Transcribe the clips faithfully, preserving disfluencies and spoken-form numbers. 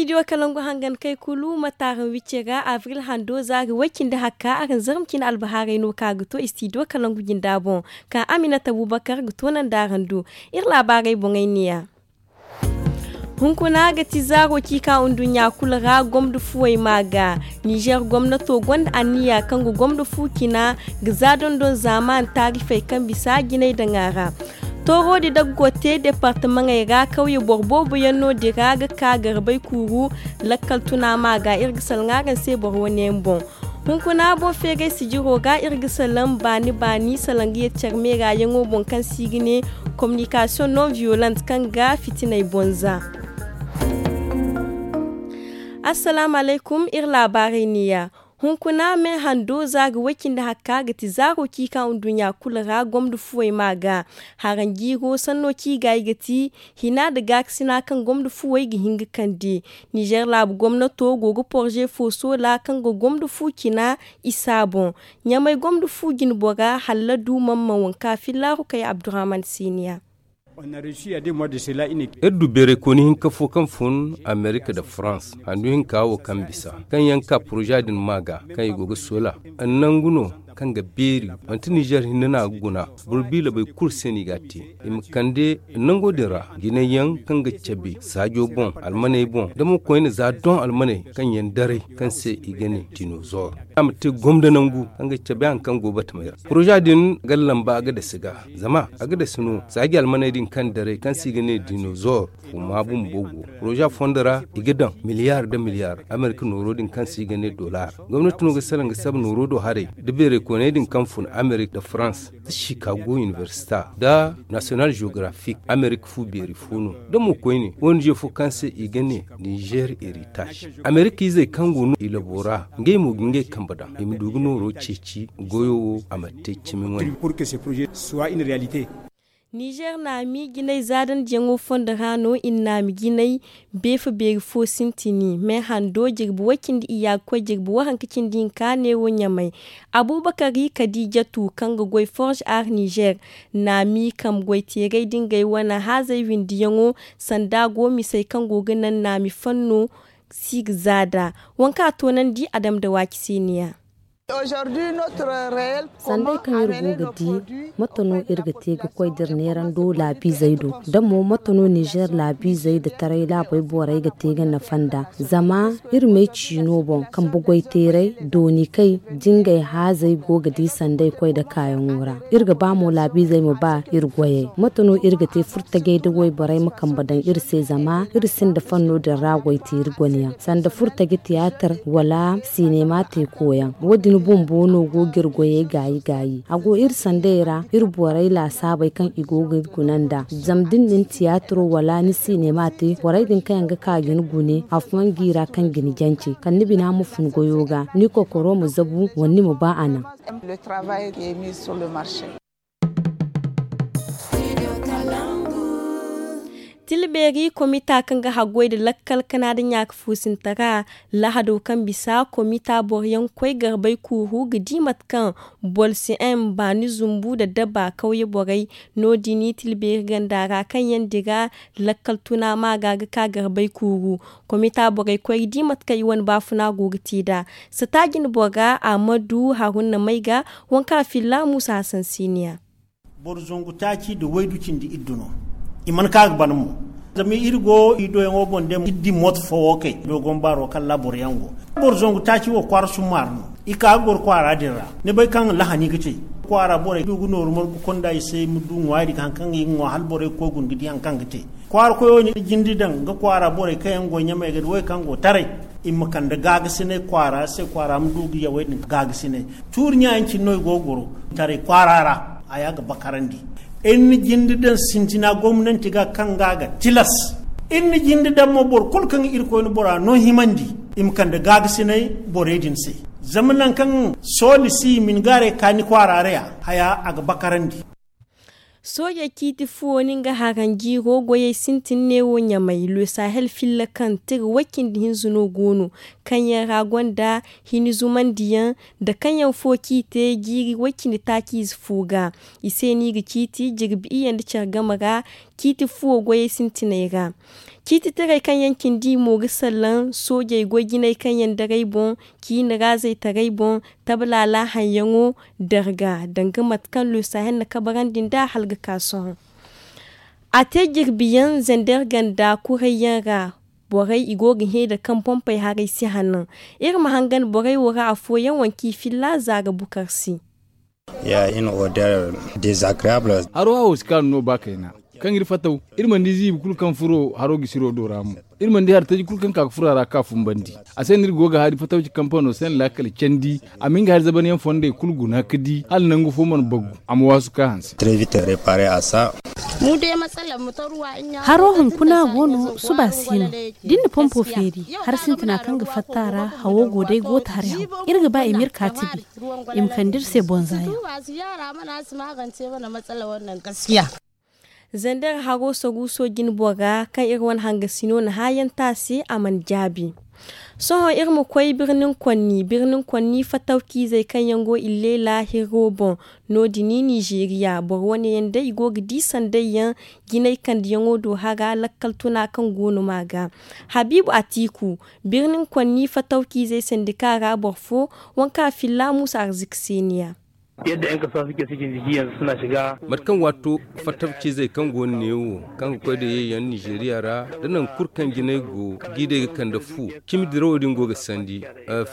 Istidiyo kalangu hangan kay kulu ma taaran wicce ga abril hando za ga way cindi hakka araŋ zarma cine albahaarey no ka ga to istidiyo kalangu jinda boŋ, ka aminata abubakar ga toonandi araŋ do. Iri laabaarey boŋey neeya. Hunkuna ga ti zaaro ciika nduɲɲa kulu ra gomdo fuwey ma ga. Nizer gomnato gonda anniya kaŋ ga gomdo fu cina ga za dondon zaaman taarifey kaŋ bisa jinay daŋ a ra. Toorodi daggo te departamaŋey ra kawye boro boobo yaŋ no din ra ga ka garbay kuuru. Lakkal tuna ma ga iri ga salaŋ araŋ se boro wane yaŋ boŋ. Hunkuna boŋ feeray sijiro ga iri ga salaŋ baani baani salaŋ ga yeti care meera yaŋo boŋ kaŋ se i ga ne kominikasiyoŋ non viyolant kaŋ ga fitinay boŋ za. Assalaamu alaykum, iri laabaarey neeya. Hunkuna me hando za ga way cindi hakka ga ti zaaro ciika nduɲɲa kulu ra gomdo fuwey ma ga. Haranjiiro sanno ciigaayi ga ti hina nda gaakasina kaŋ gomdo fuwey ga hin ga kande. Nizer laabu gomnato go ga porze fo soola kaŋ ga gomdo fu cina isa boŋ. Ɲamay gomdo fu jinbora halladu mamman wanka fillaaru kay abdurahman seniya. Iri du beeray kooni hinka fo kaŋ fun amerika nda farans handu hinka wo kaŋ bisa kaŋ yaŋ ka poroza din ma ga kaŋ i go ga soola. Nangu no kaŋ ga beeri manti nizer hinne no a ga guna. Boro biila bay kulu se no i ga a te i ma kande nango din ra jinay yaŋ kaŋ ga cabe saajo boŋ almaney boŋ da mo koyne za doŋ almaney kaŋ yaŋ daray kaŋ se i ga ne dinozor. A ma te gomda nangu kaŋ ga cabe hari kaŋ go batamey ra poroza din ga lamba a ga dasi ga zama a ga dasi no saaji almaney din kaŋ daray kaŋ se i ga ne dinozor. Fuma bumbo go poroza fondo ra i ga daŋ miliyar nda miliyar amerika nooro din kaŋ se i ga ne dolar. Gomnati no ga salaŋ ga saba nooro do haray nda beeray kooney din kaŋ fun amerika nda farans nda chicago iniversita nda nasiyonal jeografik amerika fu beeri fo no. Da mo koyne ong fo kaŋ se i ga ne nizer heritage amerika izey kaŋ go no i labo ra ngey mo ga ngey kambe daŋ i ma du ga nooro ceeci goyo wo a ma te cimi wane. Nizer naami jinay zaadandiyaŋo fondo ra no i na naami jinay beefa beeri fo sintini me hando jirbi way cindi iyya ga koy jirbi waranka cindi hinka neewo ɲamay. Abubakari kadijatu kaŋ ga goy forge ar nizer naami kambe goyteeray da ngey wane haazey windiyaŋo sanda go misey kaŋ go ga naŋ naami fanno si ga zaada. Waŋ kaŋ a toonandi a dam nda waaci se neeya. Sanday kaŋ iri go ga di mate no iri ga te ga koy da iri neerando laabiizey do da mo mate no nizer laabiizey nda taray laabey borey ga te ga nafa nd'a. Zama iri may ciino boŋ kambe goyteeray dooni kay da ngey haazey go ga di sanday koy nda kaayaŋo ra. Iri ga ba mo laabiizey ma ba iri goyey mate no iri ga te furtajey da wayborey ma kambe daŋ iri se zama iri sinda fanno din ra goyteeri gone yaŋ sanda furtaji tiyaatar wala sinema te kooyaŋ. Wo- din bumbo no go ga iri goyey gaayi gaayi a go iri sanday ra iri borey laasaabey kaŋ i go ga iri guna nd'a. Zama da ni na ni tiyaataro wala ni sinema te borey din kaŋ yaŋ ga ka ga ni gune afooyaŋ g'i ra kaŋ ga ni jance kala ni bina ma fun goyo ga ni kokoro ma zabu wala ni ma ba a naŋ. Tilbeeri komita kaŋ ga haggoy nda lakkal kana nda ɲaaka fuusintara lahado kaŋ bisa komita boro yaŋ ga koy garbay kuuru ga di mate kaŋ boro si m baani zumbu nda daba kawye borey. No- din tilbeeri ganda ra kaŋ yaŋ dira lakkal tuna maaga ga ka garbay kuuru. Komita borey koy ga di mate kaŋ i wane baafuna go ga te nd'a. Sata jine bora amadu haruna may ga waŋ kaŋ a filla muusa hasan siiniya. Boro zangu taaci nda waydu cindi iddu no. I mana ka ga ban mo zama iri go i doyaŋo boŋ day iri di mooto fo wo kay doogon baaro kaŋ ra boro yaŋ go. Boro zangu taaci wo kwaara summaari no. I ka ga goro kwaara din ra ni bay kaŋ lahani ga te kwaara borey du ga nooru margu konda i se ma du ŋwaari hari kaŋ ga i ga ŋwa hala borey ga koy guna ga di hari kaŋ ga te. Kwaara koyo ni jindi daŋ ga kwaara borey kaŋ yaŋ go ɲamey ga di wo kaŋ go taray. I ma kande gaagasinay kwaara se kwaara ma du ga yawey din gaagasinay. Tuuri ɲa yaŋ cine no i go ga goro taray kwaara ra. Haya ga bakarandi iri na jinde daŋ sintina gomnanti ga kaŋ ga a ga tilas. Iri na jinde daŋ mo boro kulu kaŋ ga irkoy ni bora no himandi i ma kande gaagasinay borey din se. Zama nangu kaŋ sooli si i ma ni gaaray ga ka ni kwaara ra ya haya a ga bakarandi. Soojey ciiti fuwo no nga haranjiiro goyey sintin neewo ɲamay le sahel filla kaŋ tira way-cindi hinza no go no. Kaŋ yaŋ ra gonda hini zumandiyaŋ nda kaŋ yaŋ fo kaŋ i te jiiri way-cindi taaci ize fo ga. I se no i ga ciiti jirbi iyye nda care game ra. ciiti fuwo goyey sintiney ra. Ciiti taray kaŋ yaŋ cindi mo ga salaŋ soojey goy jinay kaŋ yaŋ daray boŋ, ciini ra zaytaray boŋ, tablaala haŋyaŋo, darga danga mate kaŋ luusa yaŋ na kabarandi nd'a hala ga ka sohõ. A te jirbi yaŋ zander ganda kuray yaŋ ra. Borey i go ga hẽ da kaŋ pompey haray si hanan. Iri ma hangan borey wo ra afooyaŋ wanci filla za ga bukar se. Haro hawo si kaanu no ba kayna. Kaŋ iri fataw, iri mana di ziibi kulu kaŋ furo haro gisiro do ra mo. Iri mana di hari taji kulu kaŋ ka ga furo a ra ka fumbandi. A se no iri go ga hari fatawci kampano se no laakal candi. A ma nga hari zabanyaŋ fondey kulu guna ga di hala nangu fo mana bagu. A ma waasu ka hanse. Haro hunkuna go no suba si no. Da ni na pompo feeri hari sintina kaŋ ga fatta a ra, hawo go day go taari haw. Iri ga ba i ma iri kaatibi, i ma kande iri se bonza yaŋ. Zander haro saruuso jine bora kaŋ iri wane hangasino na haayanta se a mana jaabi. Sohõ iri ma koy birnin konni birnin konni fatawciizey kaŋ yaŋ go illeela hirro boŋ. No- din nizeeriya boro wane yaŋ day i go ga di sanday yaŋ jinay kandiyaŋo do hara lakkal tuna kaŋ go no ma ga. Habiibu atiiku, birnin konni fatawciizey sandika ra boro fo, waŋ kaŋ a filla muusa arziki se ni ya. Mate kaŋ waato fattabciizey kaŋ go no neewo, kaŋ ga koy da ye yaŋ nizeeriya ra, da nangu kulu kaŋ jinay go, g'i day ga kande fu. Cimi dirawo din go ga sandi.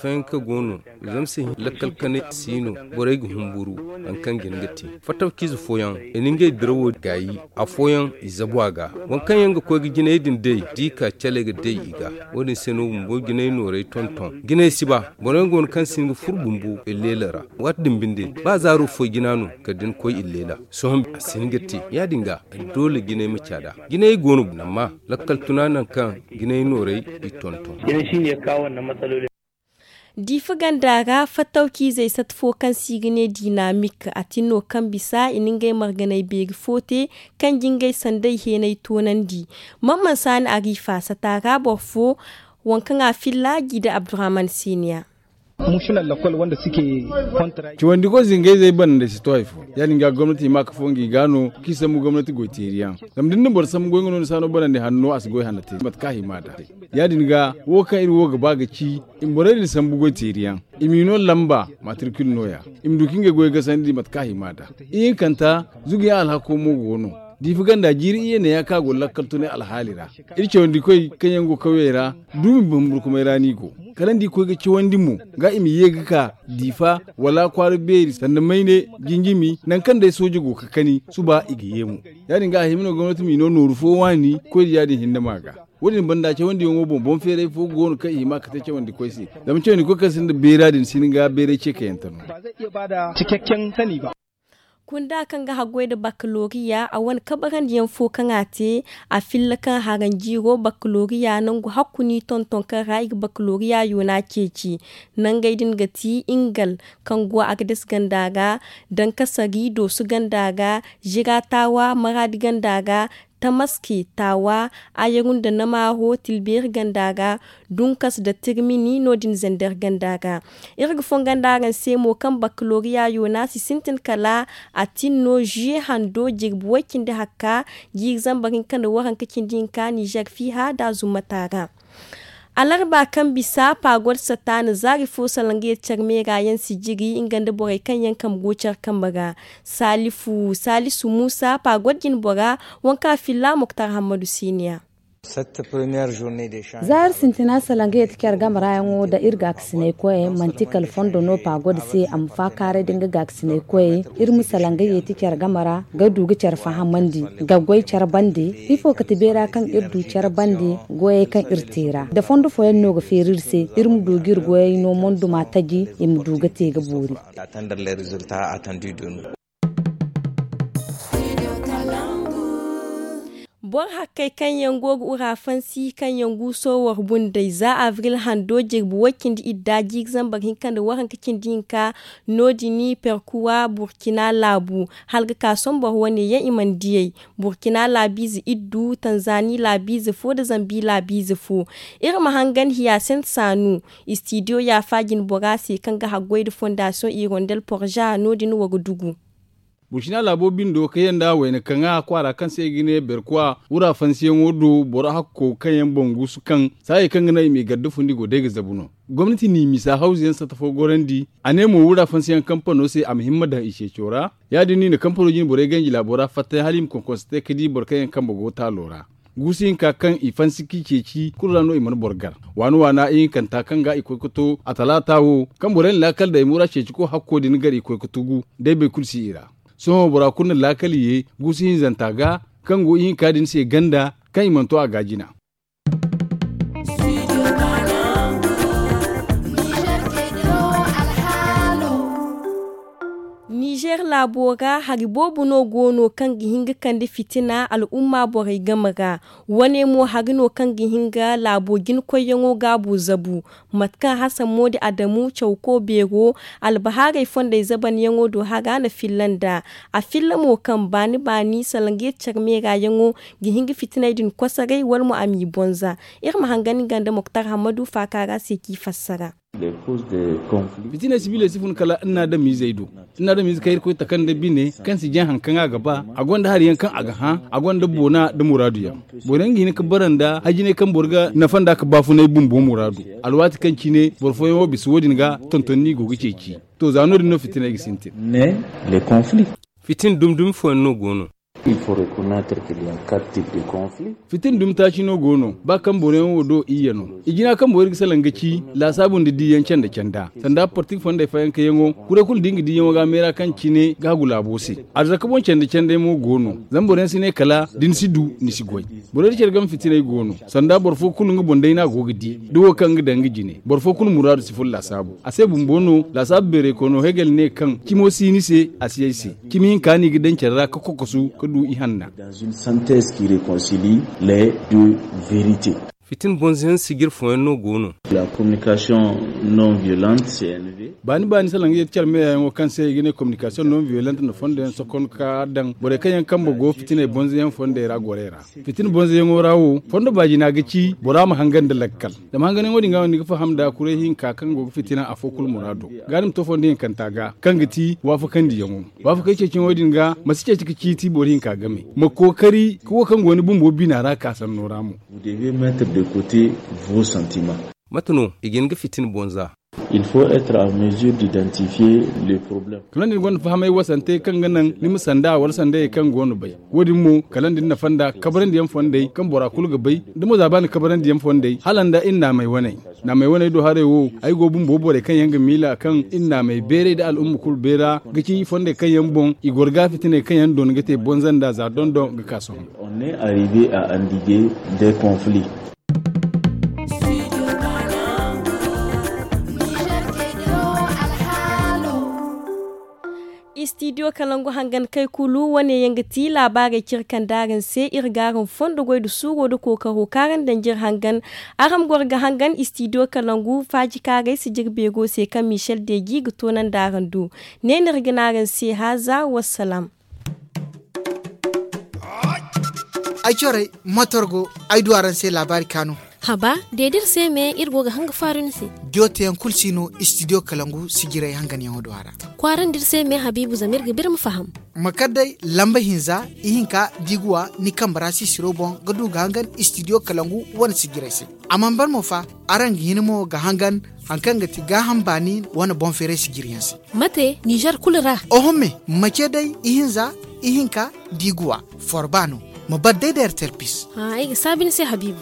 Fayanka go no, zama se lakkal kanay si no. Borey ga humburu, hari kaŋ jina ga te. Fattabciize fooyaŋ, i na ngey dirawo gaayi. Afooyaŋ i zabu a ga. Waŋ kaŋ yaŋ ga koy ga jinay din day, da i ka caley ga day i ga. Wo- din se no bumbo jinay noorey tonton. Jinay si ba, boro yaŋ go no kaŋ si hin ga furo bumbo illeela ra. Waati din binde, ba zaaro foy jina no, kala da ni koy illeela. Sohõ a si hin ga te. Ya- din ga, doole jinay ma caada. Jinay go no, amma lakkal tuna nangu kaŋ jinay noorey i tonton. Diifa ganda ra fattawciizey sata fo kaŋ se i ga ne dinamik, a tin no kaŋ bisa i na ngey marganay beeri fo te, kaŋ ga ngey sanday heenay toonandi. Mamman saani ariifa sata ra boro fo, waŋ kaŋ a filla gi nda abdurahman seeniya. Cawandi koy se ngey zey bana nda si to hari fo. Ya- din ga gomnati hima ka fo ngi ga no, kaŋ i sambu gomnati goy teeri yaŋ. Zama da ni na boro sambu goy nga no ni si a no banandi hanno a si goy hanno te mate kaŋ a hima nd'a. Ya- din ga, wo kaŋ iri wo ga ba ga ci, i ma borey din sambu goy teeri yaŋ. I m'i no lamba matrikil no- ya. I ma du kaŋ ngey goy gasandi mate kaŋ a hima nd'a. Ihinkanta, zugu yaŋ alhako mo go no. Diifa ganda jiiri iyye ne ya kaŋ a go lakkal tunay alhaali ra. Iri cawandi koy kaŋ yaŋ go kawyey ra, duumi bumburkumay ra no i go. Kala nda i koy ga cawandi mo, ga i ma ye ga ka diifa, wala kwaara beeri sanda mayne, jinjimi, nangu kaŋ day sooje go ga kani suba i ga ye mo. Ya- din ga a hima no gomnati m'i no nooru fo waani, koy da ya- din hinne ma ga. Wo- din banda cawandiyaŋo boŋ boŋ feeray fo go no kaŋ i hima ga te cawandi koy se. Zama cawandi koy kaŋ sinda beera din si hin ga beeray ce kayante no. Kunda kaŋ ga haggoy nda bakaloriya a wane kabarandiyaŋ fo kaŋ a te, a filla kaŋ haranjiiro bakaloriya nangu hakku no i tonton kaŋ ra i ga bakaloriya yoona ceeci. Nangey din ga ti ingal, kaŋ go a ga dasa ganda ga, dankasari doosu ganda ga, zira taawa maraadi ganda ga, tamaske taawa, ayaru nda namaaro tilbeeri ganda ga, dunkas nda tirmini no- din zander ganda ga. Iri ga fongu nda araŋ se mo kaŋ bakaloriya yoona si sintin kala a tin no ziye hando jirbi way- cindi hakka, jiiri zambar hinka nda waranka cindi hinka nizer fiiha nda zummata ra. Alarba kaŋ bisa pagod sata na zaari fo salangayey care meera yaŋ si jiri nga nda borey kaŋ yaŋ kambe go care kambe ra. Saalisu muusa pagod jinbora, waŋ kaŋ a filla moktar hammadu seeniya. Za iri sintina salangayey ti care game ra yaŋo nda iri gaakasinay koyey manti kala fondo no pagod se a ma faakaaray nda nga gaakasinay koyey. Iri ma salangayey ti care game ra ga du ga care fahamandi, ga goy care bande. Ifo ga ti beera kaŋ iri du care bande? Goyey kaŋ iri te ra nda fondo fooyaŋ no ga feeri iri se, iri ma du ga iri goyey no monduma taji i ma du ga te ga boori. Boro hakkey kaŋ yaŋ go ga urafansi kaŋ yaŋ guuso war bundey za abril hando jirbi way- cindi idda jiiri zambar hinka nda waranka cindi hinka. No- din perkuwa burkina laabu, hala ga ka sohõ boro wane yaŋ i mana diyey. Burkina laabiize iddu tanzani laabiize fo nda zambi laabiize fo. Iri ma hangan hiyaasent saanu, istidiyo yaafa jinbora se kaŋ ga haggoy nda fondasiyoŋ irondel porza no- din war dugu. Burcina laabo bindo kayanda wayna kaŋa kwaara kaŋ se i ga ne berkwa wura fansiyaŋo do boro hakko kaŋ yaŋ boŋ guusu kaŋ saayey kaŋ ga naŋ i ma i garda fundi go day ga zabu no. Gomnati n'i misa hawzu yaŋ satta fo gorandi. A ne mo wura fansiyaŋ kampano se a ma himma daŋ i ceeco ra. Ya- din no i na kampano jine borey ganji laabo ra fatta hala i ma konkonse te ga di boro kaŋ yaŋ kambe go taalo ra. Guusu hinka kaŋ i fansi k'i ceeci kulu ra no i mana boro gar. Waana waana ihinkanta kaŋ ga i koy ga to a talaata wo kaŋ borey na laakal day mura ceeci ko hakko din gar i koy ga tugu. Day bay kulu si i ra. Sohõ bora kulu na laakal ye guusu hinzanta ga kaŋ go ihinka din se ganda kaŋ i mana to a ga jina. Nizer laabo ra hari boobo no go no kaŋ ga hin ga kande fitina al'umma borey game ra. Wane mo hari no kaŋ ga hin ga laabo jina koyyaŋo gaabo zabu. Mate kaŋ hasan moodi adamu cawko beero albahaarey fondey zabanyaŋo do hara na filla nd'a. A filla mo kaŋ baani baani salaŋ ga yeti care meerayaŋo ga hin ga fitiney din kosoray wala mo a m'i bonza. Iri ma hangan nga nda moktar hammadu faaka ra se k'i fassara. Fitiney sibiley si fun kala nna adamizey do. Nna adamize kaŋ irkoy taka nda bine kaŋ si jaŋ hari kaŋ a ga ba a gonda hari yaŋ kaŋ a ga hã. A gonda boona nda muraadu yaŋ. Boro yaŋ ga hin ga bara nda hajinay kaŋ boro ga nafa nd'a ga baafunay bumbo muraadu. Alwaati kaŋ cine boro fooyaŋ wo bisa wo- din ga tonton no i go ga ceeci. To za no- din no fitiney ga sintin. Fitin dumi dumi fooyaŋ no go no. Fitin dumi taaci no go no ba kaŋ boroyaŋ wo do iyye no. I jina kaŋ borey ga salaŋ ga ci laasaabu nda diiyaŋ canda canda sanda partik fondey fayankayaŋo. Kuray kulu da nga diiyaŋo ga a meera kaŋ cine ga hagu laabo se. Arzaka boŋ canda canday mo go no. Zama boroyaŋ si ne kala da ni si du ni si goy. Borey da care game fitiney go no. Sanda boro fo kulu nga boŋ day no a go ga di da wo kaŋ nga daŋ nga jine boro fo kulu muraadu si fun laasaabu. A se bumbo no laasaabu beeraykoyno hegel ne kaŋ cimo si ni se. A si ay se. Cimi hinka no i ga daŋ care ra ga kokosu ga du ihanna. Fitin bonzoyaŋ sijir fooyaŋ no go no. Baani baani salaŋ ga yeti care meeyayaŋo kaŋ se i ga ne kominikasiyoŋ non viyolant na fondo yaŋ sokon ga daŋ borey kaŋ yaŋ kambe go fitiney bonzoyaŋ fondey ra gorey ra. Fitina bonzoyaŋo ra wo fondo baajina ga ci bora ma hangan nda lakkal. Zama hanganyaŋo din ga no ni ga faham nda kuray hinka kaŋ go ga fitina afo kulu muraado. Ga ni ma to fondo hinkanta ga kaŋ ga ti waafakandiyaŋo. Waafakey ceeciyaŋo din ga ma si ceeci ga ciiti boro hinka game. Ma kookari ka wo kaŋ go ni bumbo bina ra ka sanno ra mo. Mate no i ga hin ga fitina bonza. Kala da ni gonda fahamay wasantey kaŋ ga naŋ ni ma sanda wala sandayey kaŋ go no bay. Wo- din mo kala da ni nafa nda kabarandiyaŋ fondey kaŋ bora kulu ga bay. Da mo za ba ni kabarandiyaŋ fondey hala nda iri naamey waney. Naamey waney do haray wo ay go bumbo borey kaŋ yaŋ ga miila kaŋ iri naamey beeray nda al'umma kulu beera ga ci fondey kaŋ yaŋ boŋ i goro ga fitiney kaŋ yaŋ doona ga te bonza nda za dondon ga ka sohõ. Istidiyo kalangu hangan kay kulu wane yaŋ ga ti laabaarey cire kaŋ da araŋ se iri ga araŋ fondo goy nda suuro nda kookaro kaŋ araŋ daŋ jire hangan. Araŋ goro ga hangan istidiyo kalangu faaji kaaray sijiri beero se kaŋ michel deji ga toonandi araŋ do. Ne no iri ga ne araŋ se haaza wassalam. Ay corey motor go ay du araŋ se laabaari kaanu. Haba de da iri se me iri go ga hanga faaru ni se. Diyo teyaŋ kulu si no istidiyo kalangu sijirey hanganyaŋo do a ra. Kwaarandi iri se me habiibu zama iri ga biri ma faham. Ma kar day lamba hinza ihinka diiguwa ni kambe ra sisiro boŋ ga du ga hangan istidiyo kalangu wane sijirey se. A mana ban mo fa araŋ ga hin mo ga hangan hari kaŋ ga ti gaaham baani wane boŋ feeray sijiriyaŋ se. Mate nizer kulu ra? Oho me ma ce day ihinza ihinka diiguwa forba no. Ma bar day da ertel pis. Ay ga saabi ni se habiibu.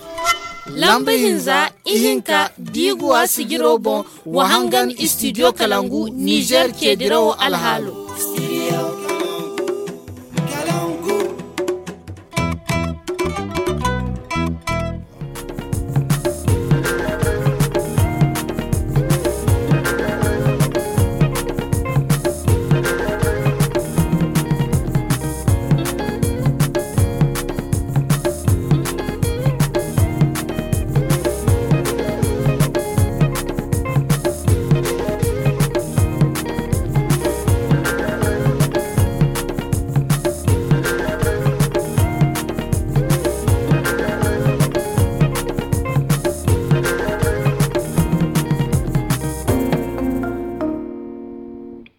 Lamba hinza ihinka diiguwa sijiro boŋ wa hangan istidiyo kalangu nizer ceedirawo alhaalo.